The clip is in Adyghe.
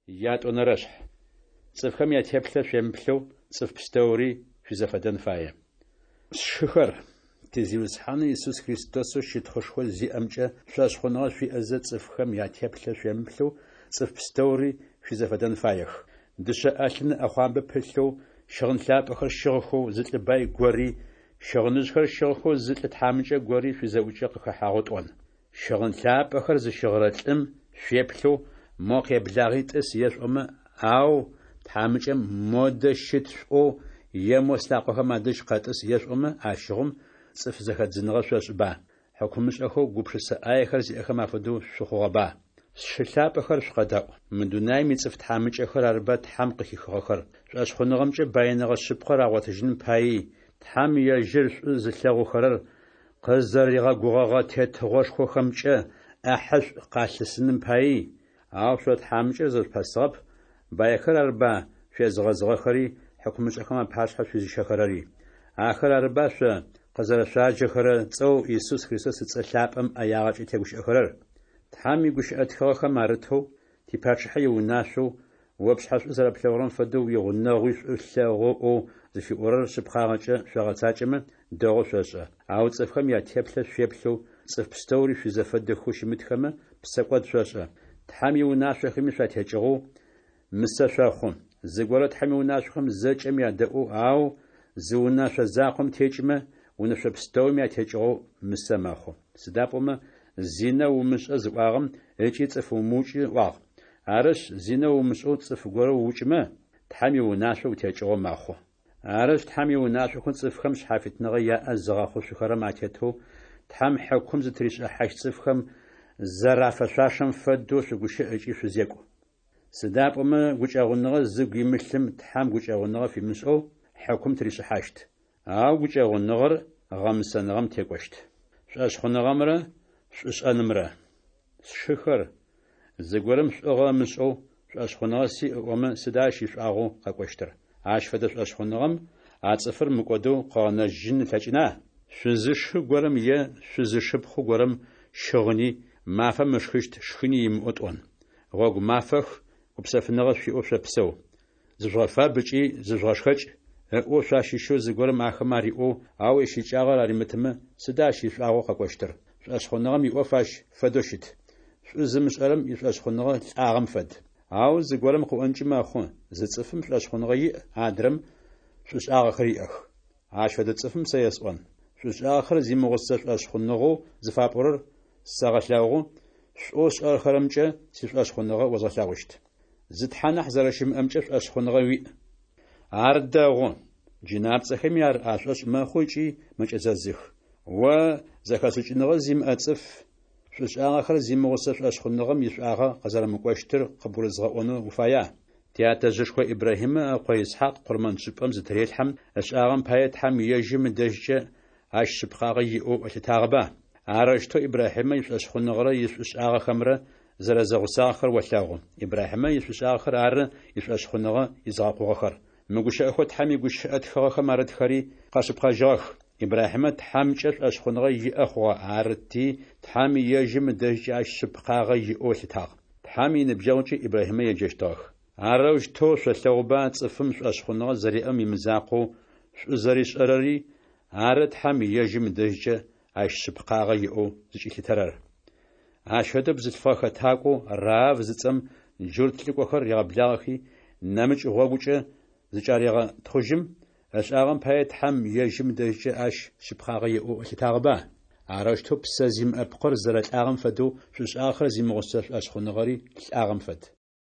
Ятӏонэрэшъхь. Цӏыфхэм ятеплъэ шъуемыплъэу, цӏыф пстэури шъуизэфэдэн фае. Сшыхэр, ти Зиусхьанэу Исус Христосэу щытхъушхо зиӏэмкӏэ шӏошъхъуныгъэ шъуиӏэзэ, цӏыфхэм ятеплъэ шъуемыплъэу, цӏыф пстэури шъуизэфэдэн фаех. Дышъэ ӏэлъын ыӏэхъуамбэ пылъэу, щыгъын лъапӏэхэр щыгъхэу зы лӏы бай гори, щыгъыныжъхэр щыгъхэу зы лӏы тхьамыкӏэ гори шъуизэӏукӏэ къыхэхьагъэу тӏон. Щыгъын лъапӏэхэр зыщыгъырэ лӏым шъуеплъэу, мо къеблагъи тӏыс ешъуӏомэ, ау тхьамыкӏэм модэ щыт шъуӏоу е мо слъакъохэм адэжь къэтӏыс ешъуӏомэ, ащыгъум цӏыф зэхэдзыныгъэ шъошӏыба? Хьыкумышӏэхэу гупшысэ ӏаехэр зиӏэхэм афэдэу шъухъугъэба? Сшы лъапӏэхэр, шъукъэдаӏу. Мы дунаим ицӏыф тхьамыкӏэхэр арыба Тхьэм къыхихыгъэхэр, шӏошъхъуныгъэмкӏэ баиныгъэ шъыпкъэр агъотыжьыным паий, Тхьэм ежьыр шӏу зылъэгъухэрэр къызэригъэгугъэгъэ тетыгъошхохэмкӏэ ӏэхьышӏу къалъысыным паий? Ау шъо тхьамыкӏэр зэшъупэсыгъэп, байхэр арыба шъуезыгъэзыгъэхэри хьыкумышӏэхэм апашъхьэ шъуизыщэхэрэри. Ахэр арыба шъо къызэрэшъуаджэхэрэ цӏэу Исус Христос ыцӏэ лъапӏэм ӏэягъэкӏэ тегущыӏэхэрэр? Тхьэм игущыӏэ тхыгъэхэм арытэу, типачъыхьэ иунашъоу, о пшъхьэ шӏу зэрэплъэгъурэм фэдэу уигъунэгъуи шӏу лъэгъу ыӏоу зыфиӏорэр шъыпкъагъэкӏэ шъогъэцакӏэмэ, дэгъоу шъошӏэ. Ау цӏыфхэм ятеплъэ шъуеплъэу, цӏыф пстэури шъуизэфэдэхэу щымытхэмэ, псэкӏод шъошӏэ. Тхьэм иунашъохэми шъуатекӏыгъэу, мысэ шъохъу. Зыгорэ Тхьэм иунашъохэм зэкӏэм ядэӏоу, ау зы унэшъо закъом текӏымэ, унэшъо пстэуми атекӏыгъэу мысэ мэхъу. Сыда пӏомэ, зинэ умышӏэ зыӏуагъэм ыкӏи цӏыф умыукӏы ыӏуагъ. Арышъ, зинэ умышӏэу цӏыф горэ уукӏымэ, Тхьэм иунашъо утекӏыгъэу мэхъу. Арышъ, Тхьэм иунашъохэу цӏыфхэм шъхьафитныгъэ яӏэ зыгъэхъушъухэрэм атетэу Тхьэм хьыкум зытыришӏыхьащт цӏыфхэм зэрафэшъуашэм фэдэу шъугущыӏ ыкӏи шъузекӏу. Сыда пӏомэ гукӏэгъуныгъэ зыгу имылъым Тхьэм гукӏэгъуныгъэ фимышӏэу хьыкум тыришӏыхьащт. Ау гукӏэгъуныгъэр гъэмысэныгъэм текӏощт. Шӏошъхъуныгъэмрэ шӏушӏэнымрэ. Сшыхэр, зыгорэм шӏугъэ ымышӏэу, шӏошъхъуныгъэ сиӏ ыӏомэ, сыда ащ ишӏуагъэу къэкӏощтыр? Ащ фэдэ шӏошъхъуныгъэм а цӏыфыр мыкӏодэу къыгъэнэжьын ылъэкӏына? Шъузышы горэм е шъузышыпхъу горэм щыгъыни, мафэм ышхыщт шхыни имыӏэу тӏон. Гъогу мафэх, гупсэфыныгъэ шъуиӏэу шъопсэу. Зыжъугъэфаб ыкӏи зыжъугъэшхэкӏ, ыӏоу шъуащыщэу зыгорэм ахэмэ ариӏоу, ау ищыкӏагъэр аримытымэ, сыда ащ ишӏуагъэу къэкӏощтыр? Шӏошъхъуныгъэм иӏоф ащ фэдэу щыт. Шӏу зымышӏэрэм ишӏошъхъуныгъэ лӏагъэм фэд. Ау зыгорэм къыӏонкӏи мэхъу, зы цӏыфым шӏошъхъуныгъэ иӏ, адрэм шӏушӏагъэхэр иӏэх. Ащ фэдэ цӏыфым сэ есӏон: шӏушӏагъэхэр зимыгъусэ шӏошъхъуныгъэу зыфапӏорэр сэгъэлъэгъу, шӏоу сшӏэхэрэмкӏэ сишӏошъхъуныгъэ озгъэлъэгъущт. Зы Тхьэ нахь зэрэщымыӏэмкӏэ шӏошъхъуныгъэ уиӏ. Ар дэгъу. Джынапцӏэхэми ар ашӏошъ мэхъу ыкӏи мэкӏэзэзых. О, зэхэшӏыкӏыныгъэ зимыӏэ цӏыф, шӏушӏагъэхэр зимыгъусэ шӏошъхъуныгъэм ишӏуагъэ къызэрэмыкӏощтыр къыбгурызгъэӏонэу уфая? Тятэжъышхо Ибрахьимэ ыкъо Исхьакъ къурмэншӏыпӏэм зытырелъхьэм, ышӏагъэм пае Тхьэм ежьым ыдэжькӏэ ащ шъыпкъагъэ иӏэу ылъытагъэба? Арэущтэу Ибрахьимэ ишӏошъхъуныгъэрэ ишӏушӏагъэхэмрэ зэрэзэгъусагъэхэр олъэгъу. Ибрахьимэ ишӏушӏагъэхэр ары ишӏошъхъуныгъэ изыгъэкъугъэхэр. Мы гущыӏэхэу Тхьэм игущыӏэ тхыгъэхэм арытхэри къэшъыпкъэжьыгъэх: Ибрахьимэ Тхьэмкӏэ шӏошъхъуныгъэ иӏэ хъугъэ, арыти, Тхьэм ежьым ыдэжькӏэ ащ шъыпкъагъэ иӏэу ылъытагъ. Тхьэм иныбджэгъукӏи Ибрахьимэ еджэщтыгъэх. Арэущтэу шъолъэгъуба цӏыфым шӏошъхъуныгъэ зэриӏэм имызакъоу, шӏу зэришӏэрэри ары Тхьэм ежьым ыдэжькӏэ ащ шъыпкъагъэ иӏэу зыкӏилъытэрэр. Ащ фэдэу бзылъфыгъэ хэтакӏоу Раав зыцӏэм джурт лӏыкӏохэр ригъэблагъэхи, нэмыкӏ гъогукӏэ зычӏарегъэтхъужьым, ышӏагъэм пае Тхьэм ежьым ыдэжькӏэ ащ шъыпкъагъэ иӏэу ылъытагъэба? Арэущтэу псэ зимыӏэ пкъыр зэрэлӏагъэм фэдэу, шӏушӏагъэхэр зимыгъусэ шӏошъхъуныгъэри лӏагъэм фэд.